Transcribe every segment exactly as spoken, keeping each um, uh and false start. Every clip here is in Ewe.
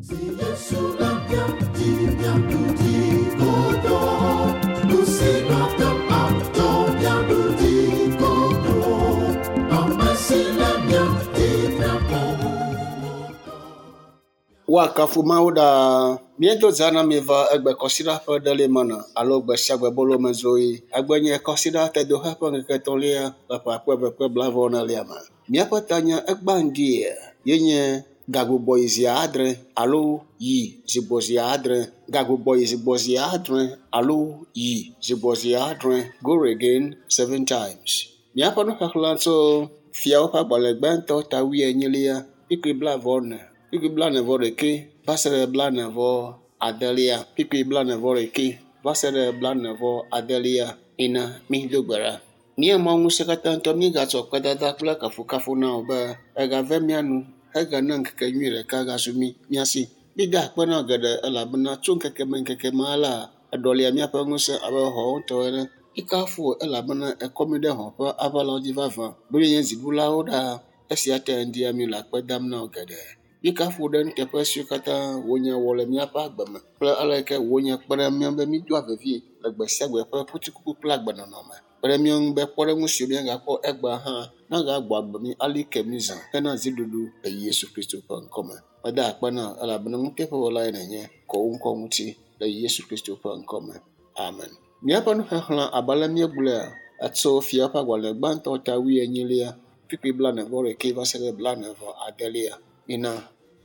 Si Yesu le mía dzi, míaɖu dzi godoo. Nu si mate ŋu adzɔ, míaɖu dzi godoo. Ame si le mía dzi, míaƒo Woakafu Mawu ɖaa. Míedo za na mi va egbe kɔsiɖa ƒe ɖeli mana alo gbe sia gbe bolo me zoe. Egbe nye kɔsiɖa tedoxe ƒe ŋkeke etɔ̃lia le ƒe akpe eve kple blaeve enelia me. Míaƒe tanya egbea ŋdi ye nye gagbugbɔ yi zi adre alo yi zigbɔ zi adre. Gagbugbɔ yi zigbɔ zi adre alo yi zigbɔ zi adre. Go again seven times. Míaƒe nuxexlẽ tso fiawo ƒe agbalẽ gbãtɔ ta wuienyilia kpukpui blaeve ene kpukpui blaene vɔ ɖekɛ va se ɖe blaene vɔ adelia kpukpui blaene vɔ ɖekɛ va se ɖe blaene vɔ adelia ina mído gbe ɖa. Mía Mawu ŋusẽkatãtɔ míegatsɔ kpedada kple kafukafu na wò be egave mía nu hegana ŋkeke nyui ɖeka gazu mí mía si. Mída akpe na wò geɖe elabena tso ŋkeke me ŋkeke me alea eɖɔlia míaƒe ŋusẽ abe hɔ̃wo tɔ ene. Míekafu wò elabena ekɔ mí ɖe hɔ̃ ƒe aʋalawo dzi vavã. Be míenye dziɖulawo ɖaa. Esia ta ŋdia míele akpe dam na wò geɖe. Míekafu wò ɖe nuteƒe siwo katã wò nya wɔ le míaƒe agbe me kple ale yi ke wò nya kpe ɖe mía ŋu be mídoa vevie le gbe sia gbe ƒe kutrikuku kple agbenɔnɔ me. Kpe ɖe mía ŋu be kpɔɖeŋu siwo míagakpɔ egbea hã nagagbɔ agbe mí ali ke mí zã hena dziɖuɖu le Yesu Kristo ƒe ŋkɔme. Meda akpe na wò elabena nuteƒewɔlae nènye kɔ wò ŋkɔ ŋuti le Yesu Kristo ƒe ŋkɔme. Amen. Míaƒe nuxexlẽ abe ale míegblɔea, etso fia ƒe agbalẽ gbãtɔ ta wuienyilia kpukpui blaene vɔ ɖekɛ va se ɖe blaene vɔ adelia. Mina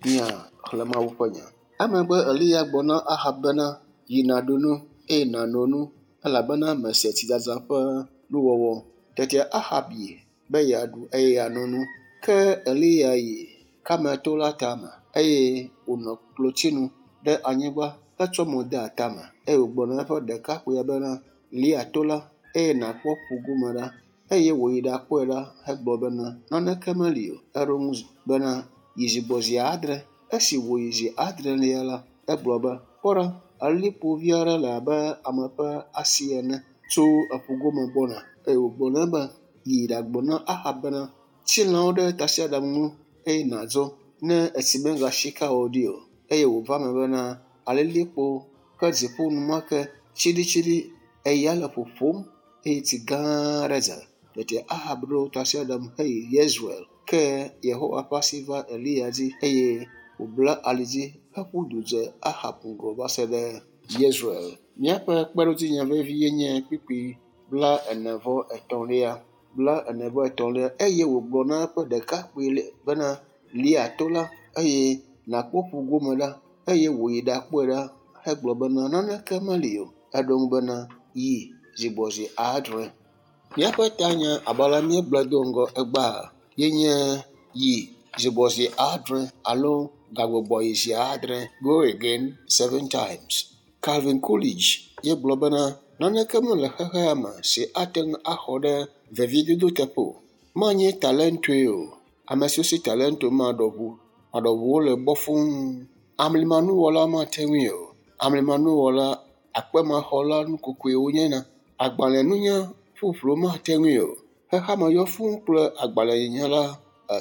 míaxlẽ Mawu ƒe nya. Emegbe Eliya gblɔ na Ahab bena, yi nàɖu nu eye nàno nu elabena mese tsidzadza ƒe nuwɔwɔ. Tete Ahab yi be yeaɖu eye yeano nu. Ke Eliya yi Karmel to la tame eye wònɔ klotsinu ɖe anyigba hetsɔ mo de atame eye wògblɔ na eƒe ɖekakpuia bena, lia to la eye nàkpɔ ƒu gome ɖa. Eye wòyi ɖakpɔe ɖa hegblɔ bena, naneke meli o. Eɖo ŋu bena, yi zigbɔ zi adre. Esi wòyi zi adrelia la, egblɔ be, kpɔ ɖa, alilikpo vi aɖe le abe ame ƒe asi ene tso eƒu gome gbɔna. Eye wògblɔ nɛ be, yi ɖagblɔ na Ahab bena, tsi lãwo ɖe tasiaɖam ŋu eye nàdzo ne etsi megasika wò ɖi o. Eye wòva eme bena alilikpo ƒe dziƒo enumake tsiɖitsiɖi eya le ƒoƒom eye tsi gã aɖe dza. Tete Ahab ɖo tasiaɖam heyi Yezreel. Ke Yehowa ƒe asi va Eliya dzi eye wòbla ali dzi heƒu du dze Ahab ŋgɔ va se ɖe Yezreel. Míaƒe kpeɖodzinya vevi ye nye kpukpui bla ene vɔ etɔ̃lia. Bla ene vɔ etɔ̃lia eye wògblɔ na eƒe ɖekakpui bena, lia to la eye nàkpɔ ƒu gome ɖa. Eye wòyi ɖakpɔe ɖa hegblɔ bena, naneke meli o. Eɖo ŋu bena, yi zigbɔ zi adre. Míaƒe tanya abe ale míegblɔe do ŋgɔ egbea ye nye yi zigbɔ zi adre alo gagbugbɔ yi zi adre. Go again seven times. Calvin Coolidge ye gblɔ bena, naneke mele xexea me si ate ŋu axɔ ɖe veviedodo teƒe o. Manye talentoe o. Ame siwo si talento maɖɔ ʋu maɖɔʋuwo le gbɔ fũu. Amlimanuwɔla mate ŋui o. Amlimanuwɔla akpemaxɔla nukokoe wonyena. Agbalẽnunya ƒuƒlu mate ŋui o. Xexeame yɔ fũu kple agbalẽnyala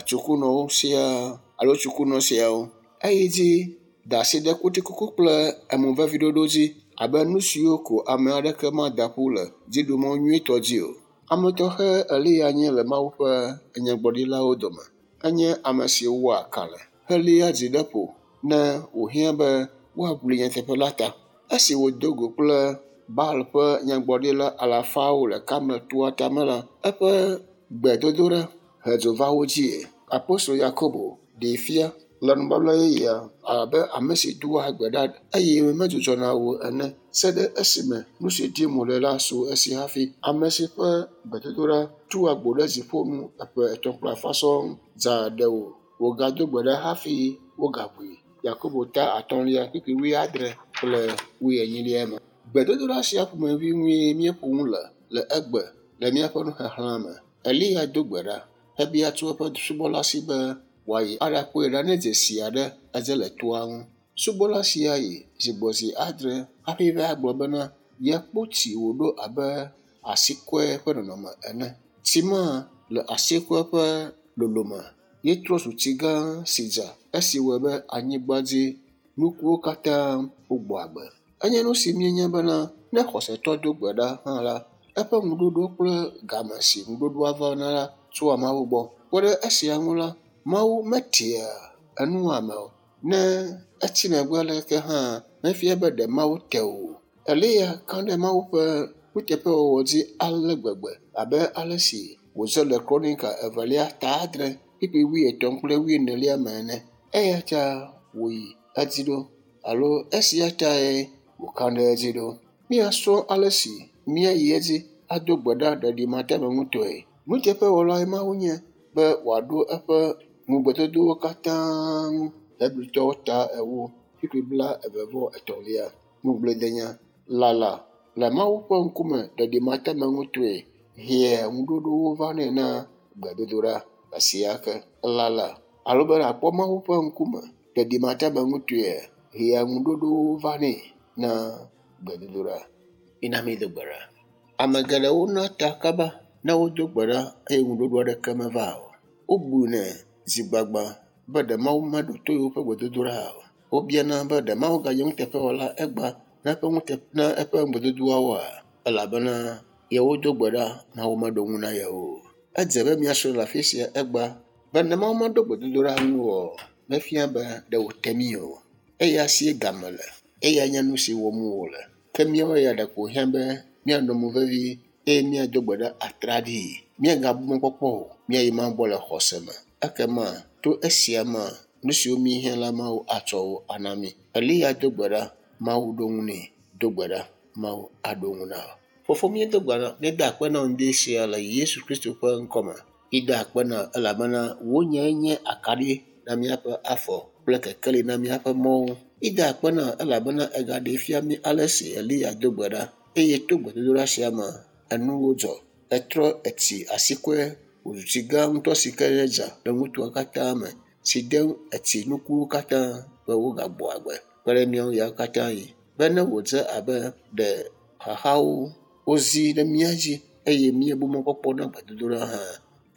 tsukunɔwo siaa alo tsukunɔ siawo. Eyi dzi da asi ɖe kutrikuku kple emoveviɖoɖo dzi abe nu siwo ko ame aɖeke mada ƒu le dziɖumɔ nyuitɔ dzi o. Ame tɔxɛ Eliya nye le Mawu ƒe nyagblɔɖilawo dome. Enye ame si wɔa kalẽ heléa dzi ɖe ƒo ne wòhiã be woaʋli nyateƒe la ta. Esi wòdo go kple Baal ƒe nyagblɔɖila alafawo le Karmel toa tame la, eƒe gbedodoɖa he dzo va wo dzie. Apostolo Yakobo ɖee fia le nubabla yeyea abe ame si doa gbe ɖa eye medzudzɔna o ene se ɖe esime nu si dim wòle la su esi hafi. Ame si ƒe gbedodoɖa tu agbo ɖe dziƒo nu eƒe etɔ̃ kple afã sɔŋ dza ɖe wò wògado gbe ɖa hafi wogaʋui. Yakobo ta atɔ̃lia kpukpui wuiadre kple wuienyilia me. Gbedodoɖa sia ƒomevi ŋue míeƒo nu le le egbe le míaƒe nuxexlẽ me. Eliya do gbe ɖa hebia tso eƒe subɔla si be wòayi aɖakpɔe ɖa ne dzesi aɖe edze le toa ŋu. Subɔla sia yi zigbɔ zi adre hafi va gblɔ bena yekpɔ tsi wòɖo abe asikɔe ƒe nɔnɔme ene. Tsi ma le asikɔe ƒe lolome ye trɔ zu tsi gã si dza esi wɔe be anyigba dzi Nukuwo katã wogbɔ agbe. Enye nu si míenya bena ne xɔsetɔ do gbe ɖa hã la, eƒe ŋuɖoɖo kple game si ŋuɖoɖoa va na la tsoa Mawu gbɔ. Kpe ɖe esia ŋu la, Mawu metia enu ame o. Ne etsi megbe leke hã mefia be ɖe Mawu te o. Eliya ka ɖe Mawu ƒe nuteƒewɔwɔ dzi ale gbegbe abe ale si wòdze le Kronika evelia ta adre kpukpui wuietɔ̃ kple wuienelia me ene. Eya ta wòyi edzi ɖo alo esia tae wòka ɖe edzi ɖo. Míasrɔ̃ ale si míayi edzi ado gbe ɖa ɖeɖimateameŋutɔe. Nuteƒewɔlae Mawu nye be wòaɖo eƒe ŋugbedodowo katã ŋu. Hebritɔwo ta ewo kpukpui bla eve vɔ etɔ̃lia. Ŋugbledenya lala le Mawu ƒe ŋkume ɖeɖimateameŋutɔe hea ŋuɖoɖowo vanɛ na gbedodoɖa esia ke. Lala alo be nàkpɔ Mawu ƒe ŋkume ɖeɖimateameŋutɔe hea ŋuɖoɖowo vanɛ na gbedodoɖa. Mina míado gbe ɖa. Ame geɖewo na ta kaba ne wodo gbe ɖa eye ŋuɖoɖo aɖeke meva o. Wobunɛ zi gbagba be ɖe Mawu meɖo to yewoƒe gbedodoɖa o. Wobiana be ɖe Mawu ganye nuteƒewɔla egbea na eƒe ŋute na eƒe ŋugbedodoawoa? Elabena yewodo gbe ɖa Mawu meɖo ŋu na yewo o. Edze be míasrɔ̃ le afi sia egbea be ne Mawu meɖo gbedodoɖa ŋu o, mefia be ɖe wòte mí o. Eya sie game le. Eya nye nu si wɔm wòle. Ke míawo ya ɖeko wòhiã be míanɔ mo vevi eye míado gbe ɖa atraɖii. Míagabu mɔkpɔkpɔ o. Míayi Mawu gbɔ le xɔse me. Ekema to esia mea, nu siwo míehiã la Mawu atsɔ wo ana mí. Eliya do gbe ɖa, Mawu ɖo ŋu nɛ. Do gbe ɖa, Mawu aɖo ŋu na wò. Fofo míedo gbe ɖa, míeda akpe na wò ŋdi sia le Yesu Kristo ƒe ŋkɔme. Míeda akpe na elabena wò nyae nye akaɖi na míaƒe afɔ kple kekeli na míaƒe mɔwo. Míeda akpe na elabena ègaɖee fia mí ale si Eliya do gbe ɖa eye to gbedodoɖa sia me enuwo dzɔ. Etrɔ etsi asikɔe wòzu tsi gã ŋutɔ si ke dza le nutoa katã me si de etsi nukuwo katã be wogagbɔ agbe kpe ɖe míawo ya katã yi. Be ne wòdze abe ɖe xaxawo wozi ɖe mía dzi eye míebu mɔkpɔkpɔ na gbedodoɖa hã,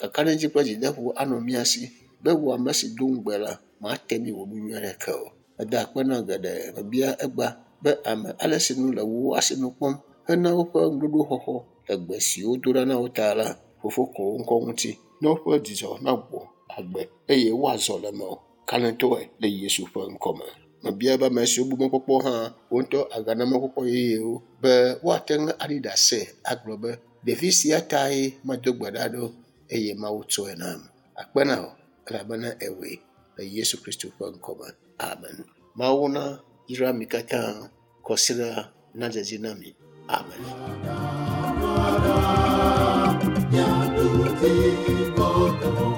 kakaɖedzi kple dzideƒo anɔ mía si be wò ame si do ŋugbe la, mate mí wò nu nyui aɖeke o. Meda akpe na geɖe mebia egbea be ame ale si nu le wò asinu kpɔm hena woƒe ŋuɖoɖo xɔxɔ le gbe si wodo ɖa na wo ta la, fofo kɔ wo ŋkɔ ŋuti ne woƒe dzidzɔ nagbɔ agbe eye woazɔ le mewò kalẽtɔe le Yesu ƒe ŋkɔme. Mebia be ame siwo bu mɔkpɔkpɔ hã, wo ŋutɔ agana mɔkpɔkpɔ yeyewo be woate ŋu aɖi ɖase agblɔ be ɖevi sia tae medo gbe ɖa ɖo eye Mawu tsɔe nam. Akpe na wò elabena èwɔe le Yesu Kristo ƒe ŋkɔme. Amen. Mawu na yra mi katã kɔsiɖa nadze dzi na mi. Amen. Míaɖu dzi godoo.